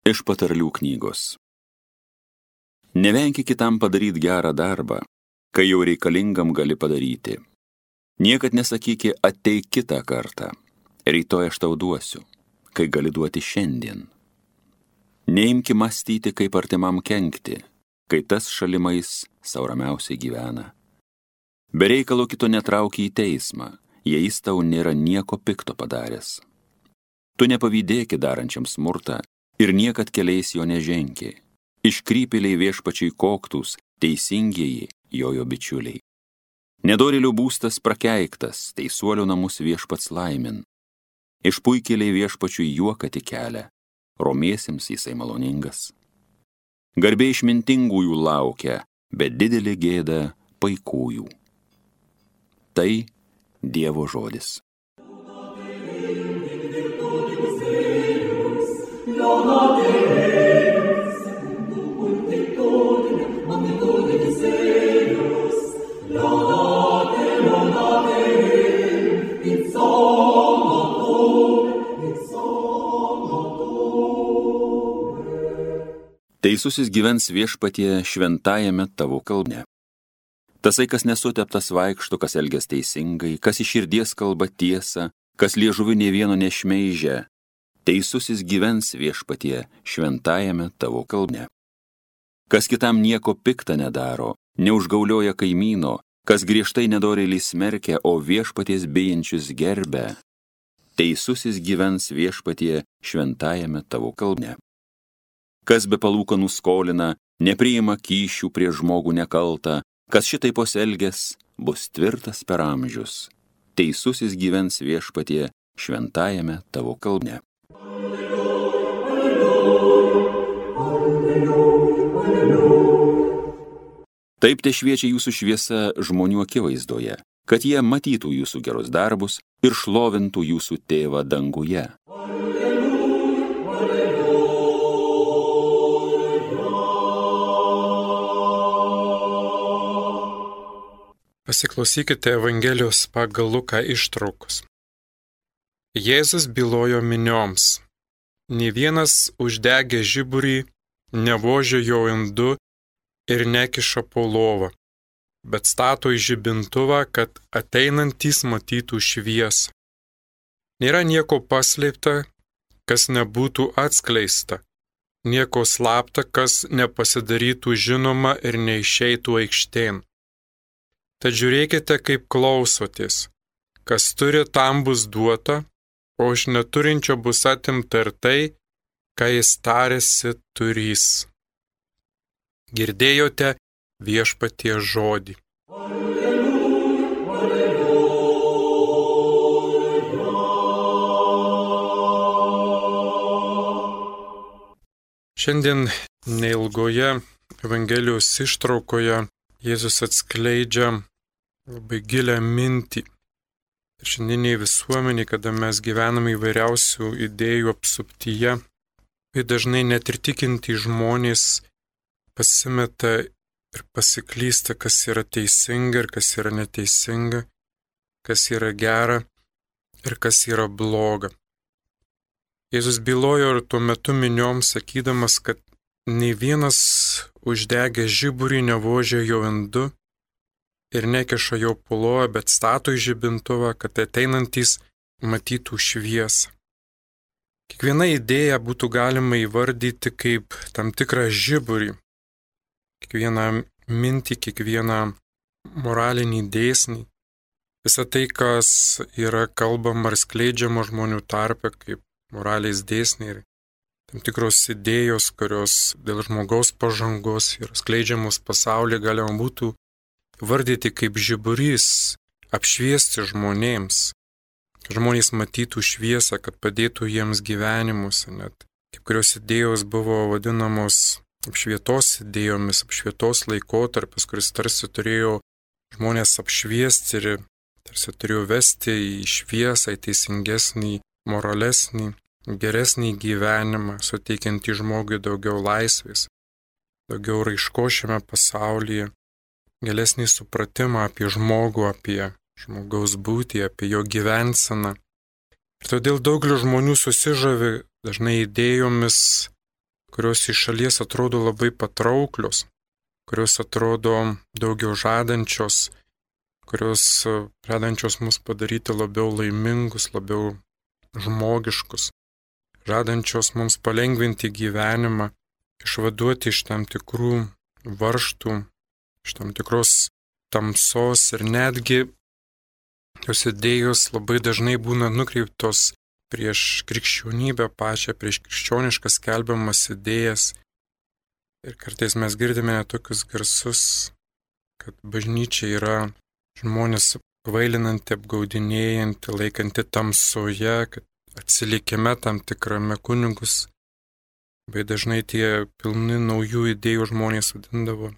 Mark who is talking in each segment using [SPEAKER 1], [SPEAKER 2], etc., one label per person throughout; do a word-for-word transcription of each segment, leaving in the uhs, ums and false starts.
[SPEAKER 1] Iš patarlių knygos. Nevenki kitam padaryti gerą darbą, kai jau reikalingam gali padaryti. Niekad nesakyki ateik kitą kartą, rytoj aš tau duosiu, kai gali duoti šiandien. Neimki mąstyti, kaip artimam kenkti, kai tas šalimais sau ramiausiai gyvena. Be reikalo kito netrauki į teismą, jei jis tau nėra nieko pikto padaręs. Tu nepavydėki darančiam smurtą ir niekad keliais jo neženki. Iškrypėliai viešpačiai koktus, teisingieji jojo bičiuliai. Nedorėlių būstas prakeiktas, teisuolių namus viešpats laimin. Išpuikėliai viešpačiui juoką tik kelia, romiesiems jisai maloningas. Garbė išmintingųjų laukia, bet didelė gėda paikųjų. Tai Dievo žodis. Teisusis gyvens viešpatie šventajame tavo kalne. Tasai, kas nesuteptas vaikšto, kas elgias teisingai, kas iš širdies kalba tiesą, kas liežuviu nė vieno nešmeižia, teisusis gyvens viešpatie šventajame tavo kalne. Kas kitam nieko pikta nedaro, neužgaulioja kaimyno, kas griežtai nedorėlį smerkia, o viešpaties bijančius gerbia, teisusis gyvens viešpatie šventajame tavo kalne. Kas be palūkanų skolina, nepriima kyšių prie žmogų nekaltą, kas šitai pasielgęs, bus tvirtas per amžius. Teisusis gyvens viešpatie šventajame tavo kalne. Taip te šviečia jūsų šviesa žmonių akivaizdoje, kad jie matytų jūsų gerus darbus ir šlovintų jūsų tėvą danguje.
[SPEAKER 2] Pasiklausykite Evangelijos pagal Luką ištraukos. Jėzus bylojo minioms. Nė vienas uždegė žiburį, nevožė jo indu ir nekiša po lovą, bet stato į žibintuvą, kad ateinantys matytų šviesą. Nėra nieko paslėpta, kas nebūtų atskleista, nieko slapta, kas nepasidarytų žinoma ir neišeitų aikštėn. Tad žiūrėkite, kaip klausotės. Kas turi, tam bus duota, o iš neturinčio bus atimta ir tai, ką jis tarėsi turys. Girdėjote viešpaties žodį. Šiandien neilgoje Evangelijos ištraukoje Jėzus atskleidžia labai gilią mintį. Ir šiandieniai visuomeniai, kada mes gyvename įvairiausių idėjų apsuptyje, tai dažnai net ir tikintys žmonės pasimeta ir pasiklysta, kas yra teisinga ir kas yra neteisinga, kas yra gera ir kas yra bloga. Jėzus bylojo ir tuo metu minioms sakydamas, kad nei vienas uždegęs žiburį nevožė jo indu ir nekiša jo po lovą, bet stato į žibintuvą, kad ateinantys matytų šviesą. Kiekvieną idėją būtų galima įvardyti kaip tam tikrą žiburį. Kiekvieną mintį, kiekvieną moralinį dėsnį. Visą tai, kas yra kalbama ar skleidžiama žmonių tarpe kaip moralės dėsniai ir tam tikros idėjos, kurios dėl žmogaus pažangos ir skleidžiamos pasaulyje galima būtų vardyti kaip žiburys, apšviesti žmonėms. Žmonės matytų šviesą, kad padėtų jiems gyvenimus. Net kaip kurios idėjos buvo vadinamos apšvietos idėjomis, apšvietos laikotarpis, kuris tarsi turėjo žmonės apšviesti ir tarsi turėjo vesti į šviesą, į teisingesnį, moralesnį, geresnį gyvenimą, suteikiantį žmogui daugiau laisvės, daugiau raiškos šiame pasaulyje, gilesnį supratimą apie žmogų, apie žmogaus būtį, apie jo gyvenseną. Ir todėl daugelis žmonių susižavi dažnai idėjomis, kurios iš šalies atrodo labai patrauklios, kurios atrodo daugiau žadančios, kurios žadančios mus padaryti labiau laimingus, labiau žmogiškus, žadančios mums palengvinti gyvenimą, išvaduoti iš tam tikrų varžtų, iš tam tikros tamsos ir netgi jos idėjos labai dažnai būna nukreiptos prieš krikščionybę pačią, prieš krikščioniškas skelbiamas idėjas. Ir kartais mes girdime tokius garsus, kad bažnyčia yra žmonės kvailinanti, apgaudinėjanti, laikanti tamsoje, kad atsilikime tam tikrame kunigus. Labai dažnai tie pilni naujų idėjų žmonės vadindavo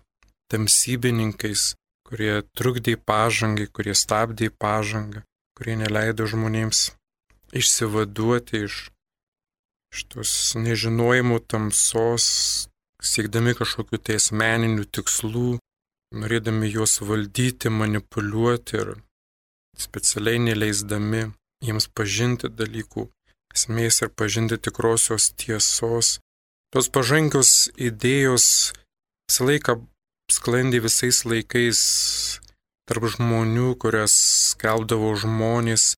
[SPEAKER 2] tamsybininkais, kurie trukdė pažangai, kurie stabdė pažangą, kurie neleido žmonėms išsivaduoti iš, iš tos nežinojimo tamsos, siekdami kažkokių tai asmeninių tikslų, norėdami juos valdyti, manipuliuoti ir specialiai neleisdami jiems pažinti dalykų esmės ir pažinti tikrosios tiesos. Tos pažangios idėjos visą laiką sklandė visais laikais tarp žmonių, kurias skelbdavo žmonės.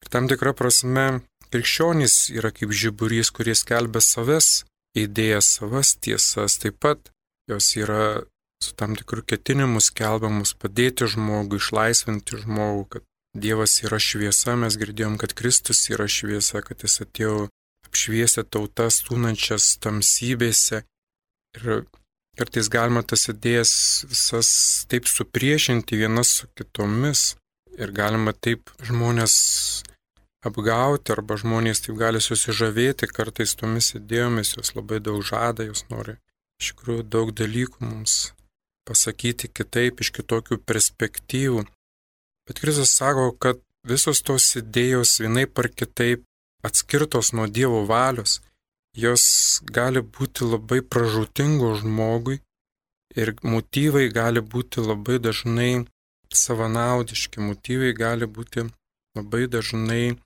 [SPEAKER 2] Ir tam tikra prasme krikščionys yra kaip žiburys, kurie skelbia savas idėjas, savas tiesas. Taip pat jos yra su tam tikrų ketinimų skelbiamus padėti žmogui, išlaisvinti žmogų, kad Dievas yra šviesa. Mes girdėjom, kad Kristus yra šviesa, kad jis atėjo apšviesti tautas tūnančias tamsybėse. Ir kartais galima tas idėjas visas taip supriešinti vienas su kitomis. Ir galima taip žmonės apgauti, arba žmonės taip gali susižavėti kartais tomis idėjomis, jos labai daug žada, jos nori iš tikrųjų daug dalykų mums pasakyti kitaip, iš kitokių perspektyvų. Bet Kristus sako, kad visos tos idėjos vienaip ar kitaip atskirtos nuo Dievo valios, jos gali būti labai pražūtingos žmogui ir motyvai gali būti labai dažnai savanaudiški, motyvai gali būti labai dažnai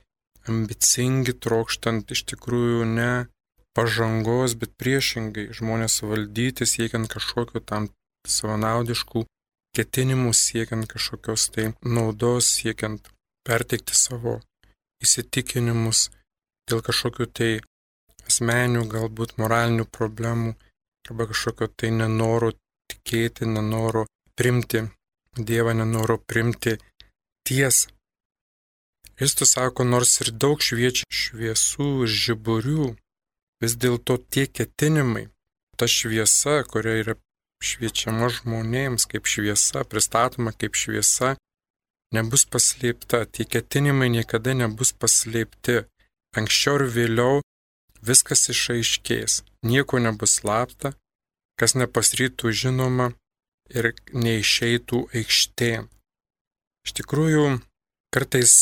[SPEAKER 2] ambicingi, trokštant iš tikrųjų ne pažangos, bet priešingai žmonės valdyti, siekiant kažkokio tam savanaudiškų ketinimų, siekiant kažkokios tai naudos, siekiant perteikti savo įsitikinimus dėl kažkokių tai asmeninių, galbūt moralinių problemų, arba kažkokio tai nenoro tikėti, nenoro primti Dievą, nenoro primti tiesą. Kristus sako, nors ir daug šviečia šviesų ir žiburių, vis dėlto tie ketinimai, ta šviesa, kuria yra šviečiama žmonėms kaip šviesa, pristatoma kaip šviesa, nebus paslėpta. Tie ketinimai niekada nebus paslėpti. Anksčiau ir vėliau viskas išaiškės. Nieko nebus slapta, kas nepasirytų žinoma ir neišeitų aikštėn. Iš tikrųjų, kartais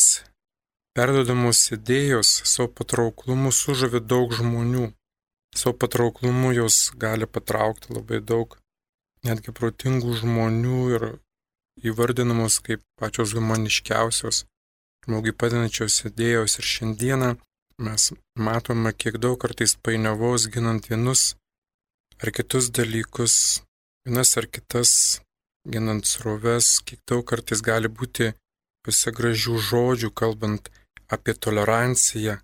[SPEAKER 2] perduodamos idėjos savo patrauklumu sužavi daug žmonių. Savo patrauklumu jos gali patraukti labai daug netgi protingų žmonių ir įvardinamos kaip pačios humaniškiausios, žmogui padedančios idėjos. Ir šiandieną mes matome, kiek daug kartais painiavos ginant vienus ar kitus dalykus, vienas ar kitas ginant sroves, kiek daug kartais gali būti visai gražių žodžių, kalbant apie toleranciją,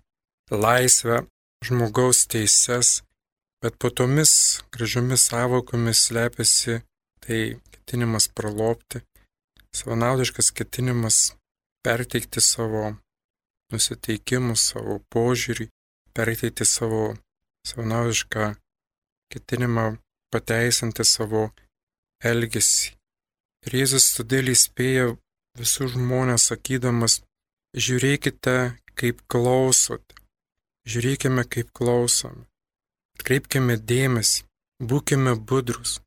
[SPEAKER 2] laisvę, žmogaus teises. Bet po tomis gražiomis sąvokomis slepiasi tai ketinimas pralopti, savanaudiškas ketinimas perteikti savo nusiteikimus, savo požiūrį, perteikti savo savanaudišką ketinimą pateisinti savo elgesį. Ir Jėzus todėl įspėja visus žmonės sakydamas, žiūrėkite, kaip klausote, žiūrėkime, kaip klausome. Kreipkime dėmesį, būkime budrus,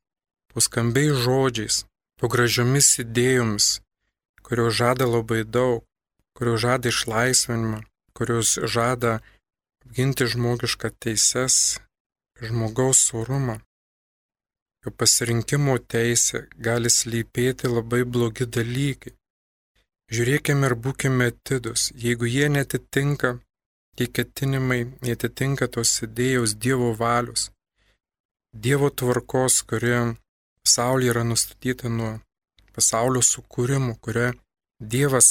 [SPEAKER 2] po skambiais žodžiais, po gražiomis idėjomis, kurios žada labai daug, kurios žada išlaisvinimą, kurios žada apginti žmogišką teises, žmogaus orumą. Jo pasirinkimo teisė gali slypėti labai blogi dalykai. Žiūrėkime ir būkime atidus, jeigu jie netitinka, tie ketinimai netitinka tos idėjos Dievo valios, Dievo tvarkos, kuri pasaulyje yra nustatyta nuo pasaulio sukūrimo, kurią Dievas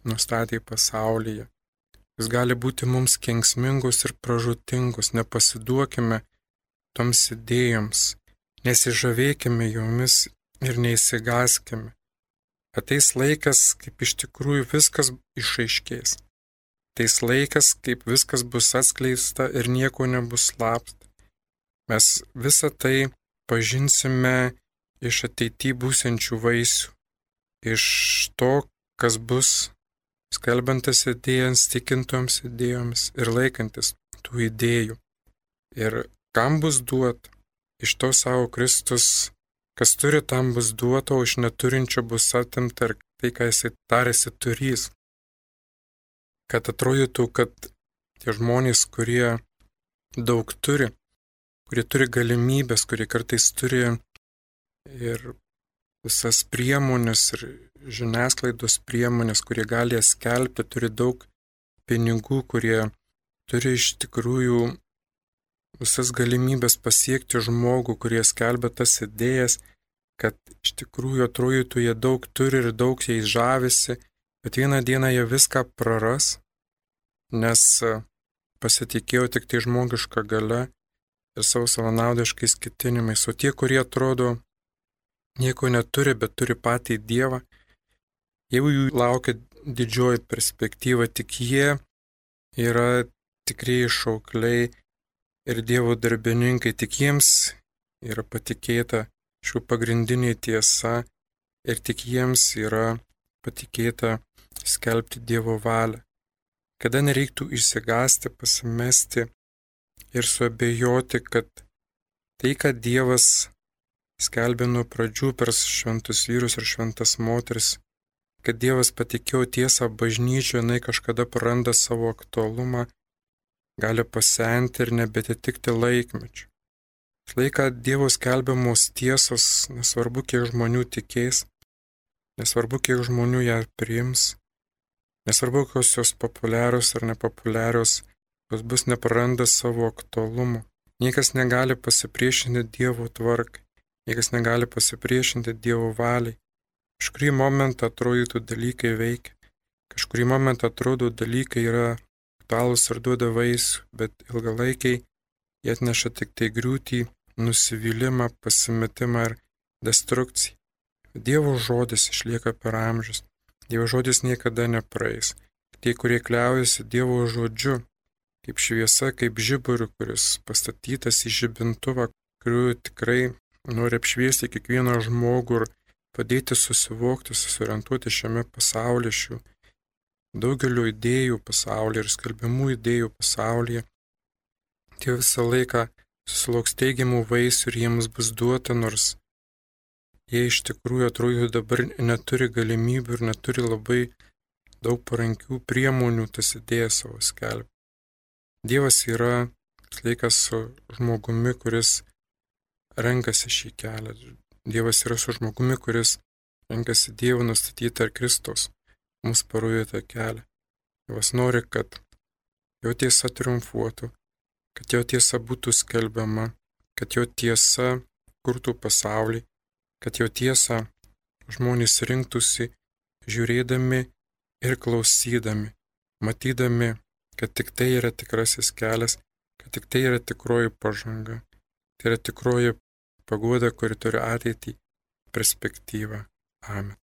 [SPEAKER 2] nustatė pasaulyje. Jis gali būti mums kenksmingus ir pražūtingus, nepasiduokime toms idėjoms, nesižavėkime jomis ir neįsigaskime. Ateis laikas, kaip iš tikrųjų viskas išaiškės. Ateis laikas, kaip viskas bus atskleista ir nieko nebus slapta. Mes visą tai pažinsime iš ateity būsiančių vaisių, iš to, kas bus skelbantis idėjams, tikintoms idėjoms ir laikantis tų idėjų. Ir kam bus duota, iš to savo Kristus, kas turi, tam bus duota, o iš neturinčio bus atimta ir tai, ką jisai tarėsi turys. Kad atrodytų, kad tie žmonės, kurie daug turi, kurie turi galimybės, kurie kartais turi ir visas priemonės ir žiniasklaidos priemonės, kurie gali jas skelbti, turi daug pinigų, kurie turi iš tikrųjų visas galimybės pasiekti žmogų, kurie skelbia tas idėjas, kad iš tikrųjų atrodytų jie daug turi ir daug jais žavisi, bet vieną dieną jie viską praras, nes pasitikėjo tik tai žmogišką galią ir savo savanaudiškais ketinimais. O tie, kurie atrodo nieko neturi, bet turi patį Dievą, jau jų laukia didžioji perspektyva, tik jie yra tikrieji šaukliai ir Dievo darbininkai, tik jiems yra patikėta šių pagrindinė tiesa ir tik jiems yra patikėta skelbti Dievo valią. Kada nereiktų išsigąsti, pasimesti ir suabejoti, kad tai, kad Dievas skelbė nuo pradžių per šventus vyrus ir šventas moteris, kad Dievas patikėjo tiesą bažnyčioje, jinai kažkada praranda savo aktualumą, gali pasenti ir nebetitikti laikmečių. Laiką Dievo skelbiamos tiesos, nesvarbu, kiek žmonių tikės, nesvarbu, kiek žmonių ją priims, nesvarbu, kokios jos populiarios ar nepopuliarios, jos bus nepraranda savo aktualumo. Niekas negali pasipriešinti Dievo tvarkai, niekas negali pasipriešinti Dievo valiai. Kažkurį momentą atrodytų dalykai veikia, kažkurį momentą atrodo dalykai yra aktualūs ir duoda vaisių, bet ilgalaikiai jie atneša tik tai griūtį, nusivylimą, pasimetimą ir destrukciją. Dievo žodis išlieka per amžius, Dievo žodis niekada nepraeis. Tie, kurie kliaujasi Dievo žodžiu, kaip šviesa, kaip žiburiu, kuris pastatytas į žibintuvą, kuriuo tikrai nori apšviesti kiekvieną žmogų ir padėti susivokti, susiorientuoti šiame pasaulyje, šių daugelio idėjų pasaulyje ir skelbimų idėjų pasaulyje. Tie visą laiką susilauks teigiamų vaisių ir jiems bus duota, nors jie iš tikrųjų atrodo dabar neturi galimybių ir neturi labai daug parankių priemonių tas idėjas savo skelbti. Dievas yra laikas su žmogumi, kuris renkasi šį kelią. Dievas yra su žmogumi, kuris renkasi Dievo nustatytą ir Kristaus mums parodytą kelią. Dievas nori, kad jo tiesa triumfuotų, kad jo tiesa būtų skelbiama, kad jo tiesa kurtų pasaulį, kad jo tiesa žmonės rinktųsi žiūrėdami ir klausydami, matydami, kad tik tai yra tikrasis kelias, kad tik tai yra tikroji pažanga, tai yra tikroji paguoda, kuri turi ateitį, perspektyvą. Amen.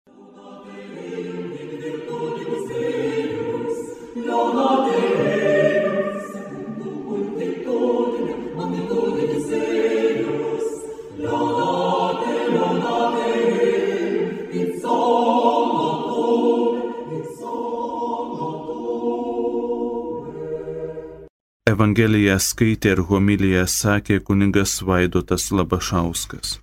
[SPEAKER 3] Evangeliją skaitė ir homiliją sakė kunigas Vaidotas Labašauskas.